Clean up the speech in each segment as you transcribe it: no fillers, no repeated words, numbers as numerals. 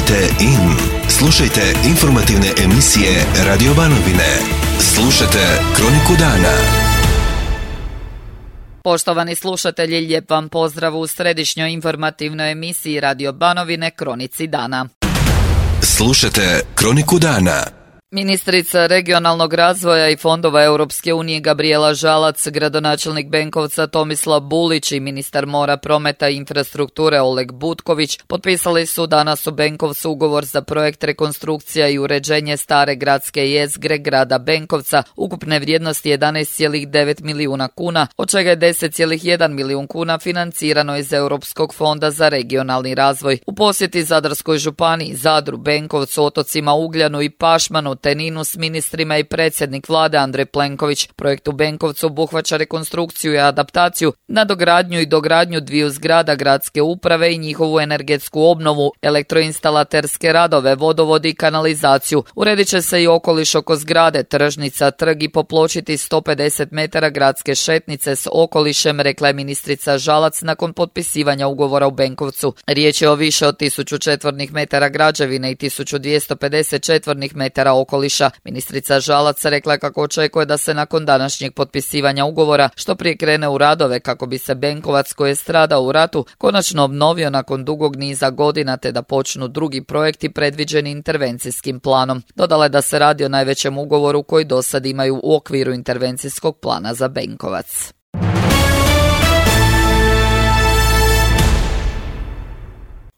Kliknite in. Slušajte informativne emisije Radio Banovine. Slušajte Kroniku dana. Poštovani slušatelji, lijep vam pozdrav u središnjoj informativnoj emisiji Radio Banovine Kronici dana. Slušajte Kroniku dana. Ministrica regionalnog razvoja i fondova Europske unije Gabrijela Žalac, gradonačelnik Benkovca Tomislav Bulić i ministar mora, prometa i infrastrukture Oleg Butković potpisali su danas u Benkovcu ugovor za projekt rekonstrukcija i uređenje stare gradske jezgre grada Benkovca ukupne vrijednosti 11,9 milijuna kuna, od čega je 10,1 milijun kuna financirano iz Europskog fonda za regionalni razvoj. U posjeti Zadarskoj županiji, Zadru, Benkovcu, otocima Ugljanu i Pašmanu te Ninu s ministrima i predsjednik vlade Andrej Plenković. Projekt u Benkovcu obuhvaća rekonstrukciju i adaptaciju, nadogradnju i dogradnju dviju zgrada gradske uprave i njihovu energetsku obnovu, elektroinstalaterske radove, vodovod i kanalizaciju. Uredit će se i okoliš oko zgrade, tržnica, trg i popločiti 150 metara gradske šetnice s okolišem, rekla je ministrica Žalac nakon potpisivanja ugovora u Benkovcu. Riječ je o više od 1000 četvornih metara građevine i 1250 četvornih metara okoliša. Ministrica Žalac rekla kako očekuje da se nakon današnjeg potpisivanja ugovora što prije krene u radove kako bi se Benkovac, koji je stradao u ratu, konačno obnovio nakon dugog niza godina te da počnu drugi projekti predviđeni intervencijskim planom. Dodala je da se radi o najvećem ugovoru koji do sad imaju u okviru intervencijskog plana za Benkovac.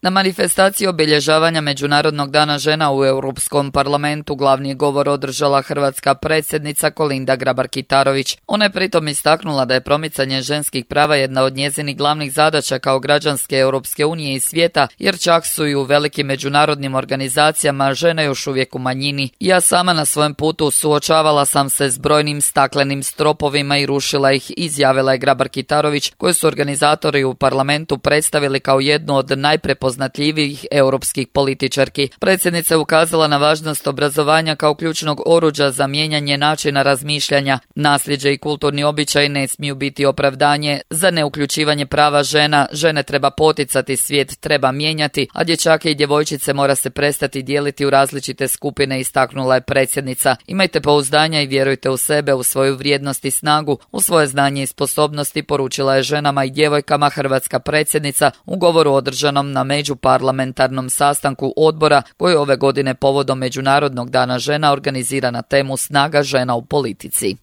Na manifestaciji obilježavanja Međunarodnog dana žena u Europskom parlamentu glavni govor održala hrvatska predsjednica Kolinda Grabar-Kitarović. Ona je pritom istaknula da je promicanje ženskih prava jedna od njezinih glavnih zadaća kao građanske Europske unije i svijeta, jer čak su i u velikim međunarodnim organizacijama žene još uvijek u manjini. Ja sama na svojem putu suočavala sam se s brojnim staklenim stropovima i rušila ih, izjavila je Grabar-Kitarović, koju su organizatori u parlamentu predstavili kao jednu od najprepoznatljivijih europskih političarki. Predsjednica je ukazala na važnost obrazovanja kao ključnog oruđa za mijenjanje načina razmišljanja. Nasljeđe i kulturni običaj ne smiju biti opravdanje za neuključivanje prava žena. Žene treba poticati, svijet treba mijenjati, a dječake i djevojčice mora se prestati dijeliti u različite skupine, istaknula je predsjednica. Imajte pouzdanja i vjerujte u sebe, u svoju vrijednost i snagu, u svoje znanje i sposobnosti, poručila je ženama i djevojkama hrvatska predsjednica u govoru održanom na međuparlamentarnom sastanku odbora koji ove godine povodom Međunarodnog dana žena organizira na temu snaga žena u politici.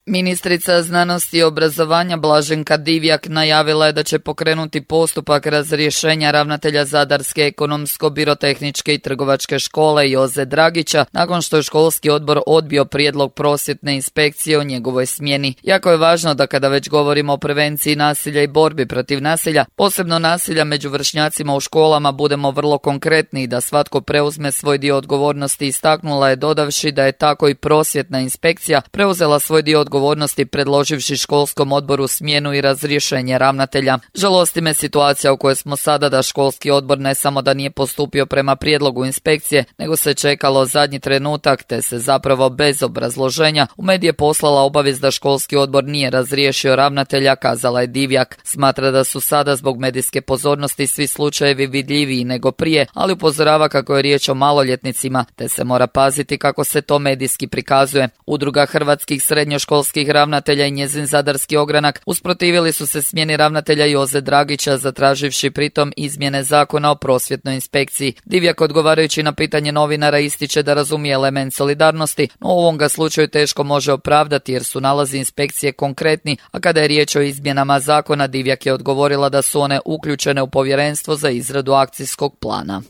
Ministrica znanosti i obrazovanja Blaženka Divjak najavila je da će pokrenuti postupak razrješenja ravnatelja Zadarske ekonomsko-birotehničke i trgovačke škole Joze Dragića nakon što je školski odbor odbio prijedlog prosvjetne inspekcije o njegovoj smjeni. Jako je važno da kada već govorimo o prevenciji nasilja i borbi protiv nasilja, posebno nasilja među vršnjacima u školama, budemo vrlo konkretni i da svatko preuzme svoj dio odgovornosti, istaknula je dodavši da je tako i prosvjetna inspekcija preuzela svoj dio odgovornosti predloživši školskom odboru smjenu i razrješenje ravnatelja. Žalosti me situacija u kojoj smo sada da školski odbor ne samo da nije postupio prema prijedlogu inspekcije, nego se čekalo zadnji trenutak te se zapravo bez obrazloženja u medije poslala obavijest da školski odbor nije razriješio ravnatelja, kazala je Divjak. Smatra da su sada zbog medijske pozornosti svi slučajevi vidljiviji nego prije, ali upozorava kako je riječ o maloljetnicima te se mora paziti kako se to medijski prikazuje. Udruga hrvatskih srednjoškolskih ravnatelja i njezin zadarski ogranak usprotivili su se smjeni ravnatelja Joze Dragića, zatraživši pritom izmjene zakona o prosvjetnoj inspekciji. Divjak odgovarajući na pitanje novinara ističe da razumije element solidarnosti, no u ovom ga slučaju teško može opravdati jer su nalazi inspekcije konkretni, a kada je riječ o izmjenama zakona, Divjak je odgovorila da su one uključene u povjerenstvo za izradu akcijskog plana.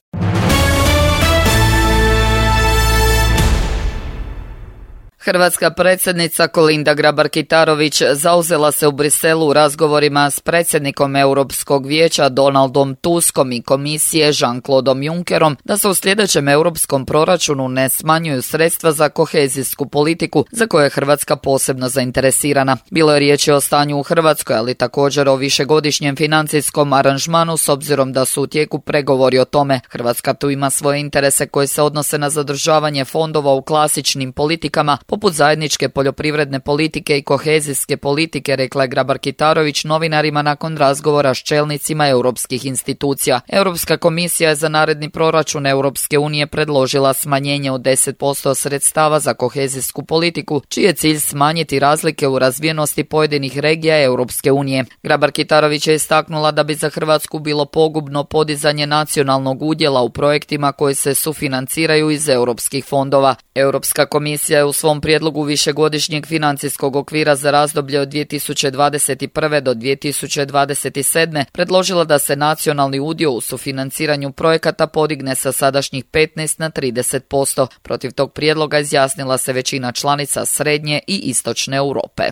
Hrvatska predsjednica Kolinda Grabar-Kitarović zauzela se u Briselu u razgovorima s predsjednikom Europskog vijeća Donaldom Tuskom i komisije Jean-Claudeom Junckerom da se u sljedećem europskom proračunu ne smanjuju sredstva za kohezijsku politiku za koje je Hrvatska posebno zainteresirana. Bilo je riječi o stanju u Hrvatskoj, ali također o višegodišnjem financijskom aranžmanu s obzirom da su u tijeku pregovori o tome. Hrvatska tu ima svoje interese koji se odnose na zadržavanje fondova u klasičnim politikama, poput zajedničke poljoprivredne politike i kohezijske politike, rekla je Grabar-Kitarović novinarima nakon razgovora s čelnicima europskih institucija. Europska komisija je za naredni proračun Europske unije predložila smanjenje od 10% sredstava za kohezijsku politiku, čiji je cilj smanjiti razlike u razvijenosti pojedinih regija Europske unije. Grabar-Kitarović je istaknula da bi za Hrvatsku bilo pogubno podizanje nacionalnog udjela u projektima koji se sufinanciraju iz europskih fondova. Europska komisija je u svom prijedlogu višegodišnjeg financijskog okvira za razdoblje od 2021. do 2027. predložila da se nacionalni udio u sufinanciranju projekata podigne sa sadašnjih 15 na 30%. Protiv tog prijedloga izjasnila se većina članica Srednje i Istočne Europe.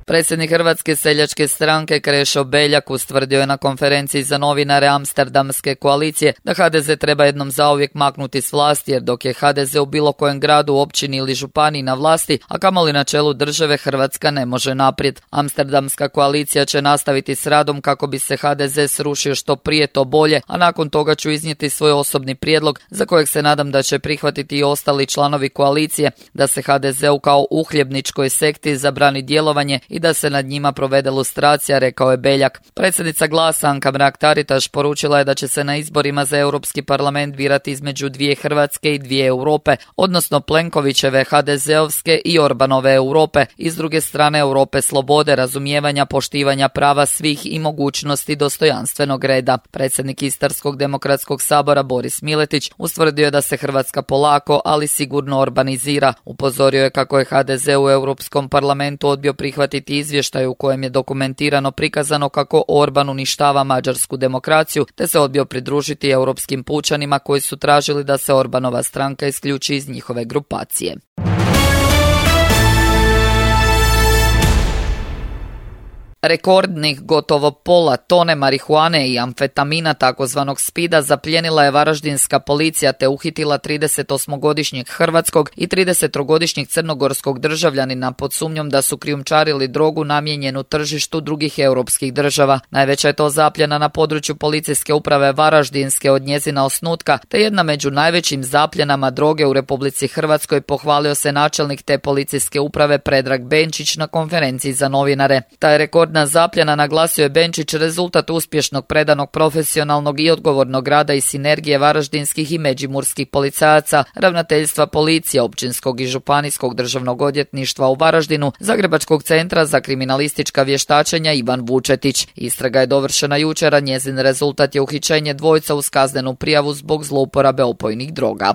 Predsjednik Hrvatske seljačke stranke Krešo Beljak ustvrdio je na konferenciji za novinare Amsterdamske koalicije da HDZ treba jednom zauvijek maknuti s vlasti, jer dok je HDZ u bilo kojem gradu, općini ili županiji na vlasti, a kamoli na čelu države, Hrvatska ne može naprijed. Amsterdamska koalicija će nastaviti s radom kako bi se HDZ srušio što prije to bolje, a nakon toga ću iznijeti svoj osobni prijedlog za kojeg se nadam da će prihvatiti i ostali članovi koalicije, da se HDZ-u kao uhljebničkoj sekti zabrani djelovanje i da se nad njima provede lustracija, rekao je Beljak. Predsjednica Glasa Anka Mrak-Taritaš poručila je da će se na izborima za Europski parlament birati između dvije Hrvatske i dvije Europe, odnosno Plenkovićeve HDZ-ovske i Orbanove Europe, i s druge strane Europe slobode, razumijevanja, poštivanja prava svih i mogućnosti dostojanstvenog reda. Predsjednik Istarskog demokratskog sabora Boris Miletić ustvrdio je da se Hrvatska polako, ali sigurno orbanizira. Upozorio je kako je HDZ u Europskom parlamentu odbio prihvatiti izvještaj u kojem je dokumentirano prikazano kako Orban uništava mađarsku demokraciju, te se odbio pridružiti europskim pučanima koji su tražili da se Orbanova stranka isključi iz njihove grupacije. Rekordnih gotovo pola tone marihuane i amfetamina takozvanog spida zaplijenila je varaždinska policija te uhitila 38-godišnjeg hrvatskog i 30-godišnjeg crnogorskog državljanina pod sumnjom da su krijumčarili drogu namijenjenu tržištu drugih europskih država. Najveća je to zapljena na području policijske uprave Varaždinske od njezina osnutka, te jedna među najvećim zapljenama droge u Republici Hrvatskoj, pohvalio se načelnik te policijske uprave Predrag Benčić na konferenciji za novinare. Taj rekord zapljena, naglasio je Benčić, rezultat uspješnog, predanog, profesionalnog i odgovornog rada i sinergije varaždinskih i međimurskih policajaca, ravnateljstva policije, općinskog i županijskog državnog odvjetništva u Varaždinu, Zagrebačkog centra za kriminalistička vještačenja Ivan Vučetić. Istraga je dovršena jučer, a njezin rezultat je uhićenje dvojca uz kaznenu prijavu zbog zlouporabe opojnih droga.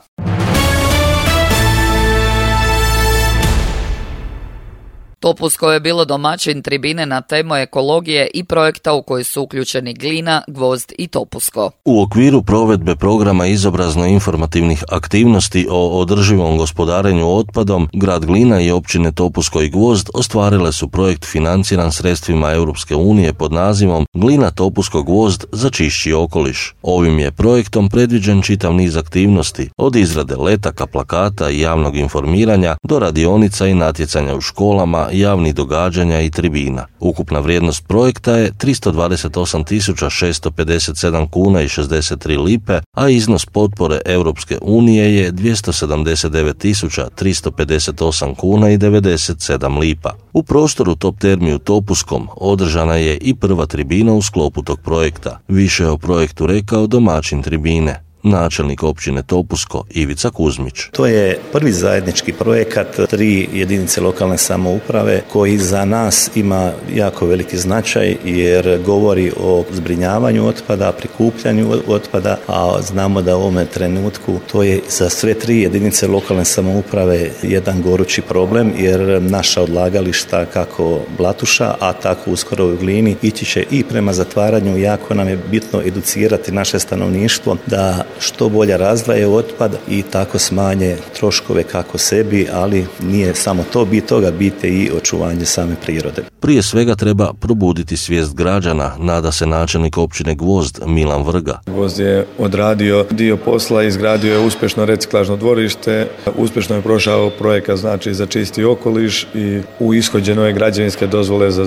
Topusko je bilo domaćin tribine na temu ekologije i projekta u koji su uključeni Glina, Gvozd i Topusko. U okviru provedbe programa izobrazno-informativnih aktivnosti o održivom gospodarenju otpadom, grad Glina i općine Topusko i Gvozd ostvarile su projekt financiran sredstvima Europske unije pod nazivom Glina, Topusko, Gvozd za čišći okoliš. Ovim je projektom predviđen čitav niz aktivnosti, od izrade letaka, plakata i javnog informiranja do radionica i natjecanja u školama, javnih događanja i tribina. Ukupna vrijednost projekta je 328.657 kuna i 63 lipe, a iznos potpore Europske unije je 279.358 kuna i 97 lipa. U prostoru Top Termi u Topuskom održana je i prva tribina u sklopu tog projekta. Više je o projektu rekao domaćin tribine, načelnik općine Topusko Ivica Kuzmić. To je prvi zajednički projekat 3 jedinice lokalne samouprave koji za nas ima jako veliki značaj jer govori o zbrinjavanju otpada, prikupljanju otpada, a znamo da u ovome trenutku to je za sve 3 jedinice lokalne samouprave jedan gorući problem jer naša odlagališta kako Blatuša, a tako uskoro u Glini ići će i prema zatvaranju. Jako nam je bitno educirati naše stanovništvo da što bolje razdvaje otpad i tako smanje troškove kako sebi, ali nije samo to bit toga, bit je i očuvanje same prirode. Prije svega treba probuditi svijest građana, nada se načelnik općine Gvozd Milan Vrga. Gvozd je odradio dio posla, izgradio je uspješno reciklažno dvorište, uspješno je prošao projekat znači za čisti okoliš i u ishođeno je građevinske dozvole za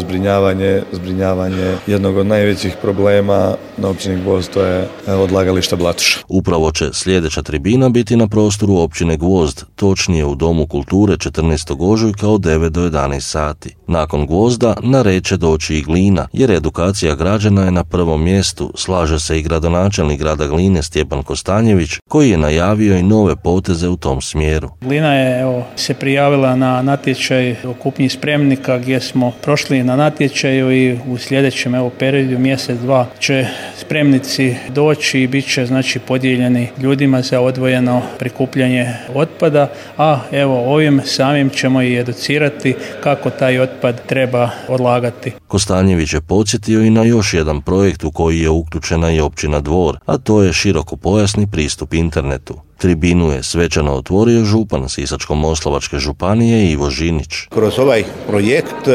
zbrinjavanje jednog od najvećih problema na općini Gvozd, to je odlagalište Blatuša. Upravo će sljedeća tribina biti na prostoru općine Gvozd, točnije u Domu kulture 14. ožujka od 9 do 11 sati. Nakon Gvozda na red će doći i Glina, jer edukacija građana je na prvom mjestu, slaže se i gradonačelnik grada Gline Stjepan Kostanjević, koji je najavio i nove poteze u tom smjeru. Glina je se prijavila na natječaj o kupnji spremnika gdje smo prošli na natječaju i u sljedećem periodu mjesec, dva će spremnici doći i bit će podijeljeni ljudima za odvojeno prikupljanje otpada, a ovim samim ćemo i educirati kako taj otpad treba odlagati. Kostanjević je podsjetio i na još jedan projekt u koji je uključena i općina Dvor, a to je širokopojasni pristup internetu. Tribinu je svečano otvorio župan Sisačko-moslavačke županije Ivo Žinić. Kroz ovaj projekt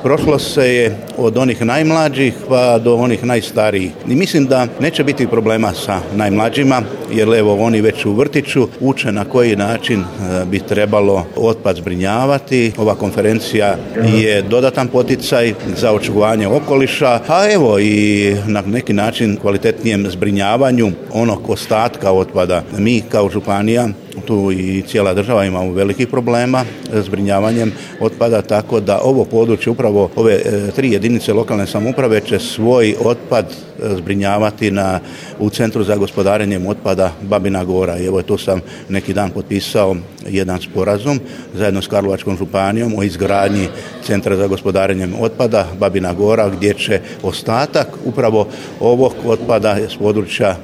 prošlo se je od onih najmlađih pa do onih najstarijih. I mislim da neće biti problema sa najmlađima, jer oni već u vrtiću uče na koji način bi trebalo otpad zbrinjavati. Ova konferencija je dodatan poticaj za očuvanje okoliša, a i na neki način kvalitetnijem zbrinjavanju onog ostatka otpada. Mi kao županija, tu i cijela država imamo velikih problema s zbrinjavanjem otpada, tako da ovo područje, upravo ove 3 jedinice lokalne samouprave će svoj otpad zbrinjavati u Centru za gospodarenjem otpada Babina Gora. I tu sam neki dan potpisao jedan sporazum zajedno s Karlovačkom županijom o izgradnji Centra za gospodarenjem otpada Babina Gora, gdje će ostatak upravo ovog otpada s područja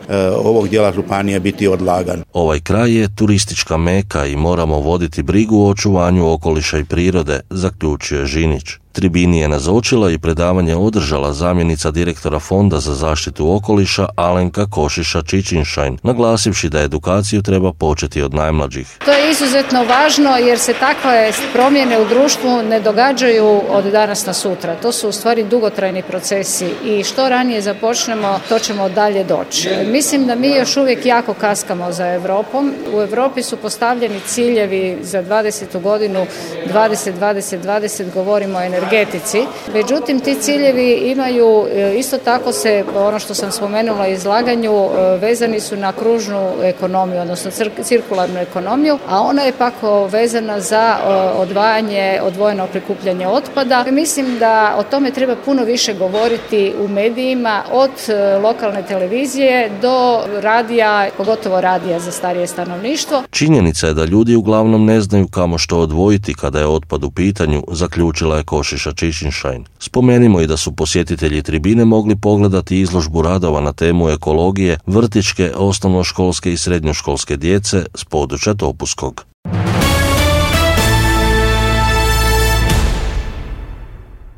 ovog dijela županije biti odlagan. Ovaj kraj je turistička meka i moramo voditi brigu o očuvanju okoliša i prirode, zaključio je Žinić. Tribini je nazočila i predavanje održala zamjenica direktora Fonda za zaštitu okoliša Alenka Košiša-Čičinšajn, naglasivši da edukaciju treba početi od najmlađih. To je izuzetno važno jer se takve promjene u društvu ne događaju od danas na sutra. To su u stvari dugotrajni procesi i što ranije započnemo, to ćemo dalje doći. Mislim da mi još uvijek jako kaskamo za Europom. U Europi su postavljeni ciljevi za 20. godinu 20-20-20, govorimo o energetici. Međutim, ti ciljevi imaju, isto tako se, ono što sam spomenula u izlaganju, vezani su na kružnu ekonomiju, odnosno cirkularnu ekonomiju, a ona je pak vezana za odvojeno prikupljanje otpada. Mislim da o tome treba puno više govoriti u medijima, od lokalne televizije do radija, pogotovo radija za starije stanovništvo. Činjenica je da ljudi uglavnom ne znaju kamo što odvojiti kada je otpad u pitanju, zaključila je Košiša-Čičinšajn. Spomenimo i da su posjetitelji tribine mogli pogledati izložbu radova na temu ekologije vrtićke, osnovnoškolske i srednjoškolske djece s područja Topuskog.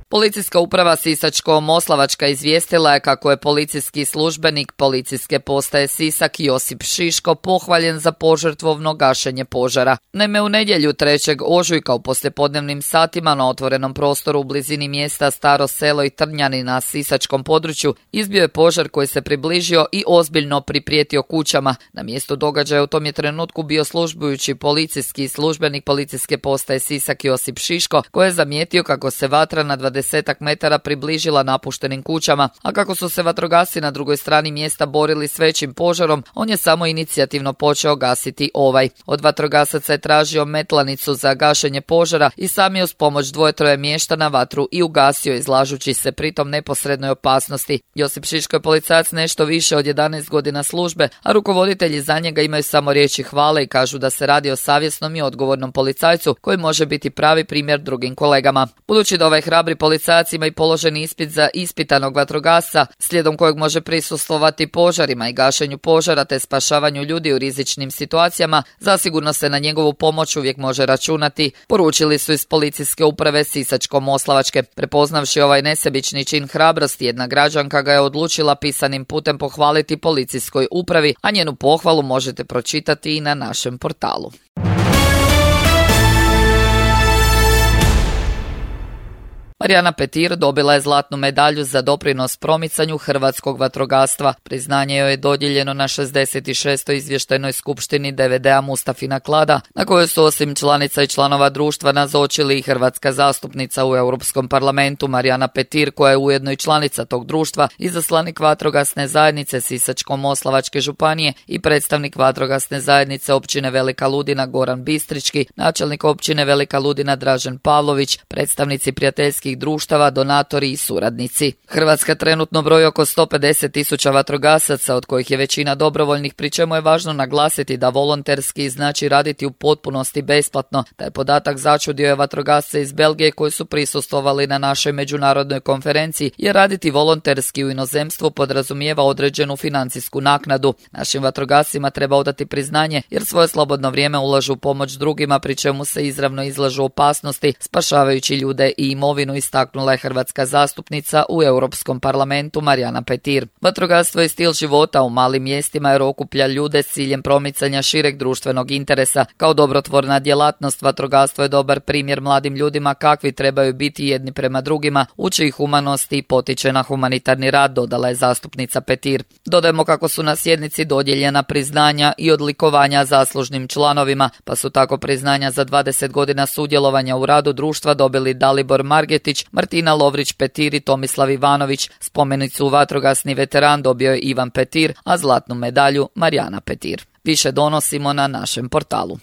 Policijska uprava Sisačko-moslavačka izvijestila je kako je policijski službenik policijske postaje Sisak Josip Šiško pohvaljen za požrtvovno gašenje požara. Naime, u nedjelju 3. ožujka u poslijepodnevnim satima na otvorenom prostoru u blizini mjesta Staro selo i Trnjani na sisačkom području izbio je požar koji se približio i ozbiljno priprijetio kućama. Na mjestu događaja u tom je trenutku bio službujući policijski službenik policijske postaje Sisak Josip Šiško, koji je zamijetio kako se vatra na 20 metara približila napuštenim kućama, a kako su se vatrogasci na drugoj strani mjesta borili s većim požarom, on je samo inicijativno počeo gasiti ovaj. Od vatrogasaca je tražio metlanicu za gašenje požara i sam je uz pomoć 2-3 mještana vatru i ugasio, izlažući se pritom neposrednoj opasnosti. Josip Šiško je policajac nešto više od 11 godina službe, a rukovoditelji za njega imaju samo riječi hvale i kažu da se radi o savjesnom i odgovornom policajcu koji može biti pravi primjer drugim kolegama. Budući da ovaj hrabri policajac ima i položeni ispit za ispitanog vatrogasca, slijedom kojeg može prisustvovati požarima i gašenju požara te spašavanju ljudi u rizičnim situacijama, zasigurno se na njegovu pomoć uvijek može računati, poručili su iz policijske uprave Sisačko-moslavačke. Prepoznavši ovaj nesebični čin hrabrosti, jedna građanka ga je odlučila pisanim putem pohvaliti policijskoj upravi, a njenu pohvalu možete pročitati i na našem portalu. Marijana Petir dobila je zlatnu medalju za doprinos promicanju hrvatskog vatrogastva. Priznanje joj je dodijeljeno na 66. izvještajnoj skupštini DVD-a Mustafina Klada, na kojoj su osim članica i članova društva nazočili i hrvatska zastupnica u Europskom parlamentu Marijana Petir, koja je ujedno i članica tog društva, izaslanik vatrogasne zajednice Sisačko-moslavačke županije i predstavnik vatrogasne zajednice općine Velika Ludina Goran Bistrički, načelnik općine Velika Ludina Dražen Pavlović, predstavnici prijateljskih društava, donatori i suradnici. Hrvatska trenutno broji oko 150.000 vatrogasaca, od kojih je većina dobrovoljnih, pri čemu je važno naglasiti da volonterski znači raditi u potpunosti besplatno. Taj podatak začudio je vatrogasce iz Belgije koji su prisustvovali na našoj međunarodnoj konferenciji, jer raditi volonterski u inozemstvu podrazumijeva određenu financijsku naknadu. Našim vatrogascima treba odati priznanje jer svoje slobodno vrijeme ulažu u pomoć drugima, pri čemu se izravno izlažu opasnosti, spašavajući ljude i imovinu, istaknula je hrvatska zastupnica u Europskom parlamentu Marijana Petir. Vatrogastvo je stil života u malim mjestima jer okuplja ljude s ciljem promicanja šireg društvenog interesa. Kao dobrotvorna djelatnost, vatrogastvo je dobar primjer mladim ljudima kakvi trebaju biti jedni prema drugima, uči ih humanosti i potiče na humanitarni rad, dodala je zastupnica Petir. Dodajemo kako su na sjednici dodijeljena priznanja i odlikovanja zaslužnim članovima, pa su tako priznanja za 20 godina sudjelovanja u radu društva dobili Dalibor Margetić, Martina Lovrić Petir i Tomislav Ivanović. Spomenicu vatrogasni veteran dobio je Ivan Petir, a zlatnu medalju Marijana Petir. Više donosimo na našem portalu.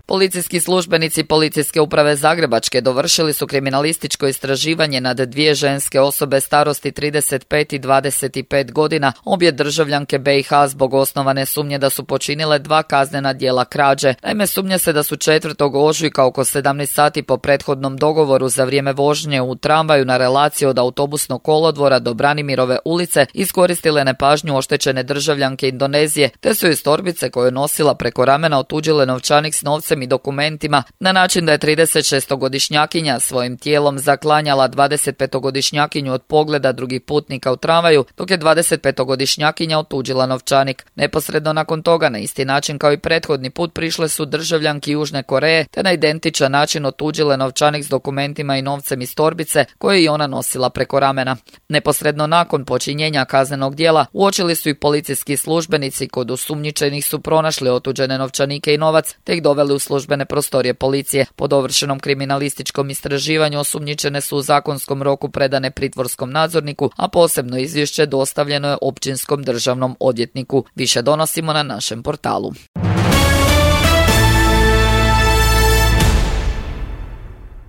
Policijski službenici Policijske uprave Zagrebačke dovršili su kriminalističko istraživanje nad dvije ženske osobe starosti 35 i 25 godina, obje državljanke BiH, zbog osnovane sumnje da su počinile 2 kaznena djela krađe. Naime, sumnja se da su 4. ožujka oko 17 sati po prethodnom dogovoru za vrijeme vožnje u tramvaju na relaciji od autobusnog kolodvora do Branimirove ulice iskoristile nepažnju oštećene državljanke Indonezije, te su iz torbice koju je nosila preko ramena otuđile novčanik s novcem i dokumentima na način da je 36-godišnjakinja svojim tijelom zaklanjala 25-godišnjakinju od pogleda drugih putnika u tramvaju, dok je 25-godišnjakinja otuđila novčanik. Neposredno nakon toga, na isti način kao i prethodni put, prišle su državljanki Južne Koreje te na identičan način otuđile novčanik s dokumentima i novcem iz torbice koje je ona nosila preko ramena. Neposredno nakon počinjenja kaznenog djela uočili su i policijski službenici, kod osumnjičenih su pronašli otuđene novčanike i novac te ih doveli u službene prostorije policije. Po dovršenom kriminalističkom istraživanju osumnjičene su u zakonskom roku predane pritvorskom nadzorniku, a posebno izvješće dostavljeno je općinskom državnom odvjetniku. Više donosimo na našem portalu.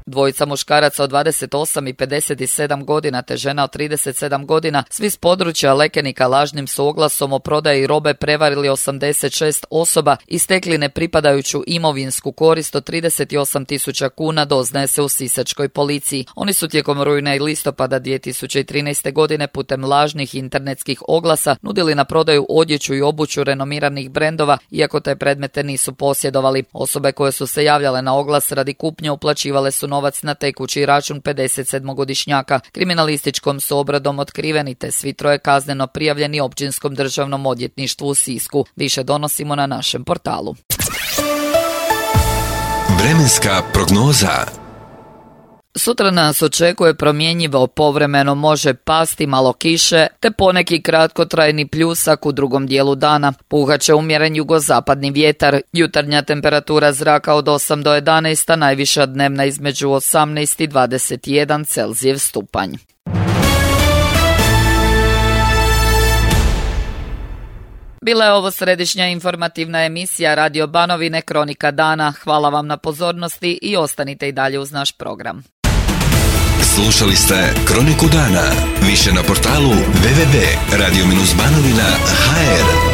Dvojica muškaraca od 28 i 57 godina te žena od 37 godina, svi s područja Lekenika, lažnim su oglasom o prodaji robe prevarili 86 osoba i stekli nepripadajuću imovinsku korist od 38.000 kuna, doznaje se u sisačkoj policiji. Oni su tijekom rujna i listopada 2013. godine putem lažnih internetskih oglasa nudili na prodaju odjeću i obuću renomiranih brendova, iako te predmete nisu posjedovali. Osobe koje su se javljale na oglas radi kupnje uplaćivale su novac na tekući račun 57-godišnjaka. Kriminalističkom su obradom otkriveni te svi troje kazneno prijavljeni općinskom državnom odvjetništvu u Sisku. Više donosimo na našem portalu. Vremenska prognoza. Sutra nas očekuje promjenjivo, povremeno može pasti malo kiše, te poneki kratkotrajni pljusak u drugom dijelu dana. Puhaće umjeren jugozapadni vjetar, jutarnja temperatura zraka od 8 do 11, a najviša dnevna između 18 i 21 Celzijev stupanj. Bila je ovo središnja informativna emisija Radio Banovine Kronika dana. Hvala vam na pozornosti i ostanite i dalje uz naš program. Slušali ste Kroniku dana. Više na portalu www.radio-banovina.hr.